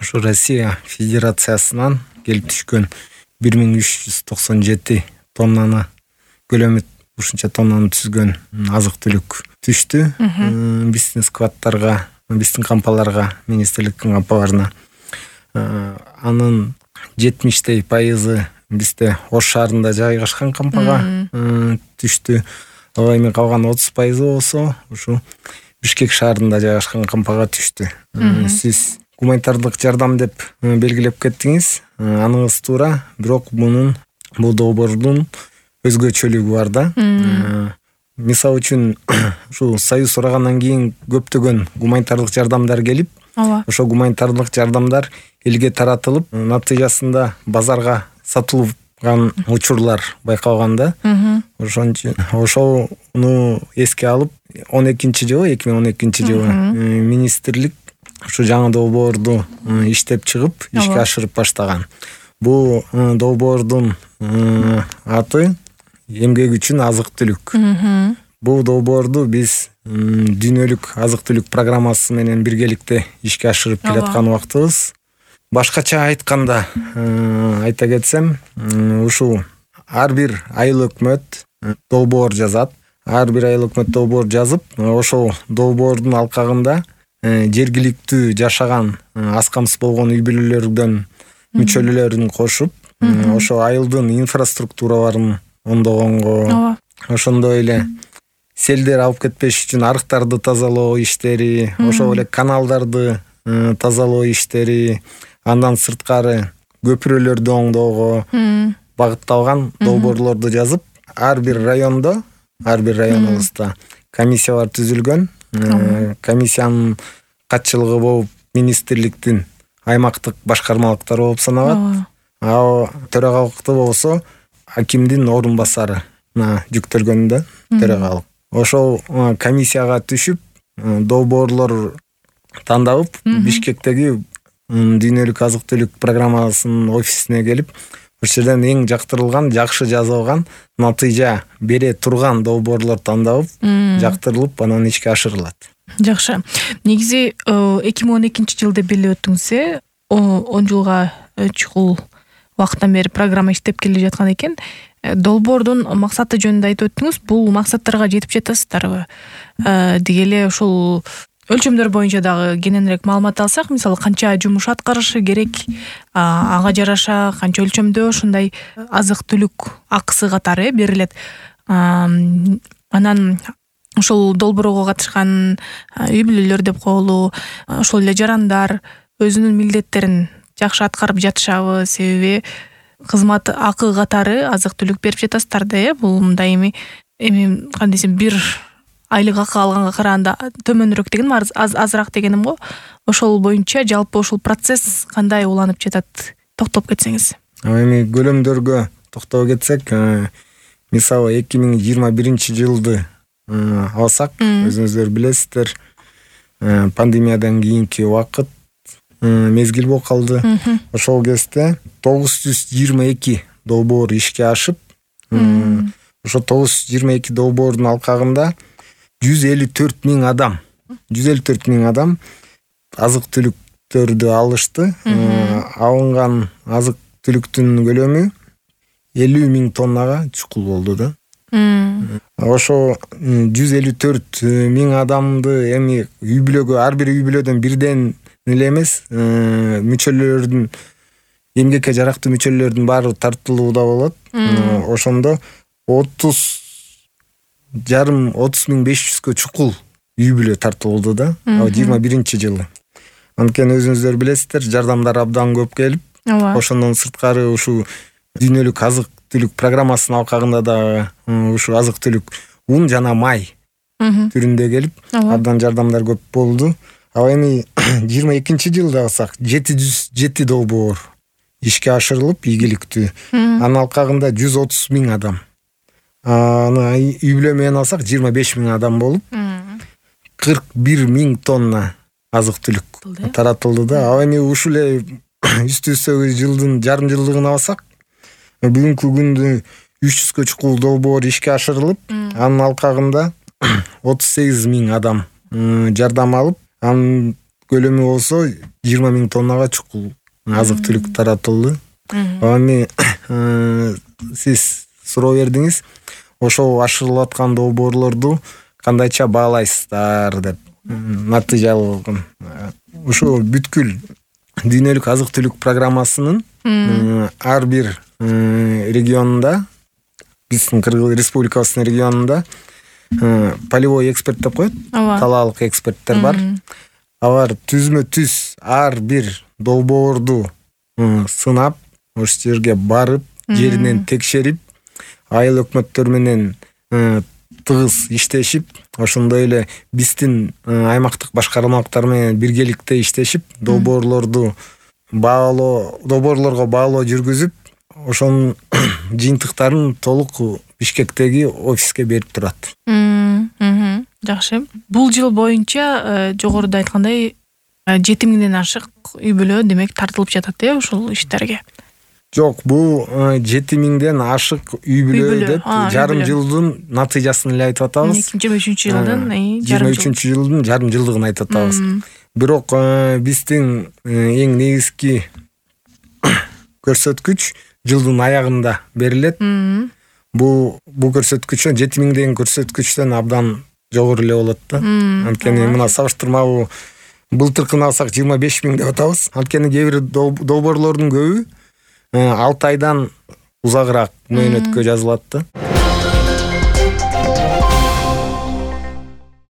Ошо Россия Федерациясынан келип түшкөн 1397 тоннаны көлөмү ушунча тоннаны түзгөн азык-түлүк түштү. Биздин складтарга, биздин кампаларга, министрликтин кампаларына. Анын 70% бизде Ош шаарында жайгашкан кампага түштү. Ал эми калган 30% болсо ушу Бишкек шаарында жайгашкан кампага түштү. Сиз гуманитардык жардам деп белгилеп кеттиңиз. Аныңыз туура, бирок бул долбоордун өзгөчөлүгү бар да. Мисалы үчүн ушул Союз урагандан кийин көптөгөн гуманитардык жардамдар келип, ошо гуманитардык жардамдар элге таратылып, натыйжасында базарга сатылган учурлар байкалган да. Ошону эске алып 2012 жылы министрлик ушу жаңы долбоорду иштеп чыгып, ишке ашырып баштаган. Бул долбоордун аты эмгек үчүн азык-түлүк. Бул долбоорду биз дүйнөлүк азык-түлүк программасы менен биргеликте ишке ашырып келаткан убактыбыз. Башкача айтканда айта кетсем, ушул ар бир айыл өкмөт долбоор жазат. Ар бир айыл өкмөт долбоор жазып, ошол долбоордун алкагында жергиликтүү жашаган аз камсыз болгон үй бүлөлөрдөн мүчөлөрүн кошуп, ошо айылдын инфраструктураларын оңдогонго, ошондой эле селдер алып кетпеш үчүн арыктарды тазалоо иштери, ошол эле каналдарды тазалоо иштери, андан сырткары көпүрөлөрдү оңдоого багытталган долбоорлорду жазып, ар бир районубузда комиссиялар түзүлгөн. Комиссиянын катчылыгы болуп министрликтин аймактык башкармалыктары болуп саналат. Ал төрагалыкты болсо акимдин орун басарына жүктөлгөн да, төрагалык. Ошол комиссияга түшүп, долбоорлор тандалып, Бишкектеги дүйнөлүк азык-түлүк программасынын офисине келип, ошол жерден эң жактырылган, жакшы жазылган, натыйжа бере турган долбоорлор тандалып, жактырылып, анан ишке ашырылат. Жакшы. Негизи 2012 жылда белгилеп өттүңүз, 10 жылга чукул убакыттан бери программа иштеп келе жаткан экен. Долбоордун максаты жөнүндө айтып өттүңүз. Бул максаттарга жетип жатасыздарбы? Деги эле ушул өлчөмдөр боюнча дагы кененирээк маалымат алсак, мисалы канча жумуш аткарышы керек, ага жараша канча өлчөмдө ушундай азык-түлүк акысы катары берилет. Анан ушул долбоорго катышкан үй бүлөлөр деп коелу, ошол эле жарандар өзүнүн милдеттерин жакшы аткарып жатышабы? Себеби кызмат акы катары азык-түлүк берип жатасыздар да, бул мындай эми кандай десем, бир айлык акы алганга караганда төмөнүрөөк дегеним, азыраак дегеним го. Ошол боюнча жалпы ушул процесс кандай уланып жатат? Токтоп кетсеңиз. Эми көлөмдөргө токтоп кетсек, мисалы 2021 жылды алсак, өзүңүздөр билесиздер, пандемиядан кийинки убакыт, мезгил болуп калды. Ошол кезде 922 долбоор ишке ашып, ошо 922 долбоордун алкагында 154 миң адам азык-түлүктөрдү алышты. Алынган азык-түлүктүн көлөмү 50 миң тоннага чукул болду да. Ошо 154 миң адамды эми үй бүлөгө, ар бир үй бүлөдөн бирден эле эмес, мүчөлөрдүн, эмгекке жарактуу мүчөлөрдүн баары тартылууда болот. Ошондо 30,500 чукул үй бүлө тартылды да, 21 жылы. Анткени өзүңүздөр билесиздер, жардамдар абдан көп келип, ошондон сырткары ушу дүйнөлүк азык-түлүк программасынын алкагында да ушу азык-түлүк ун жана май түрүндө келип, абдан жардамдар көп болду. Ал эми 22 жылда алсак 707 долбоор ишке ашырылып, ийгиликтүү. Анын алкагында 130 миң адам. Аны үй бүлө менен алсак 25 миң адам болуп, 41 миң тонна азык-түлүк таратылды да. Ал эми ушул эле үстүбүздөгү жылдын жарым жылдыгын алсак, бүгүнкү күндө 300 чукул долбоор ишке ашырылып, анын алкагында 38 миң адам жардам алып, анын көлөмү болсо 20 000 тоннага чукул азык түлүк таратылды. Эми сиз суроо бердиңиз, ошол ашырылып аткан долбоорлорду кандайча баалайсыздар деп. Натыйжалуу ушу бүткүл дүйнөлүк азык түлүк программасынын ар бир регионунда, биздин Кыргыз Республикасынын регионунда полевой эксперт деп коет, талаалык эксперттер бар. Алар түзмө түз ар бир долбоорду сынап, ошол жерге барып, жеринен текшерип, айыл өкмөттөр менен тыгыз иштешип, ошондой эле биздин аймактык башкармалыктар менен биргеликте иштешип, долбоорлорго баалоо жүргүзүп, ошонун жыйынтыктарын толук Бишкектеги офиске берип турат. Жакшы. Бул жыл боюнча жогоруда айткандай 7 000ден ашык үй бүлө демек тартылып жатат ушул иштерге. Жок, бул 7 000ден ашык үй бүлө деп жарым жылдын натыйжасын эле айтып атабыз. 2023 жылдын жарым жылдыгын айтып атабыз. Бирок биздин эң негизги көрсөткүч жылдын аягында берилет. Бул көрсөткүч 7 000 деген көрсөткүчтөн абдан жогору эле болот да. Анткени мына сабыштырмалуу былтыркыны алсак 25 000 деп атабыз. Анткени кээ бир долбоорлордун көбү 6 айдан узагыраак мөөнөткө жазылат да.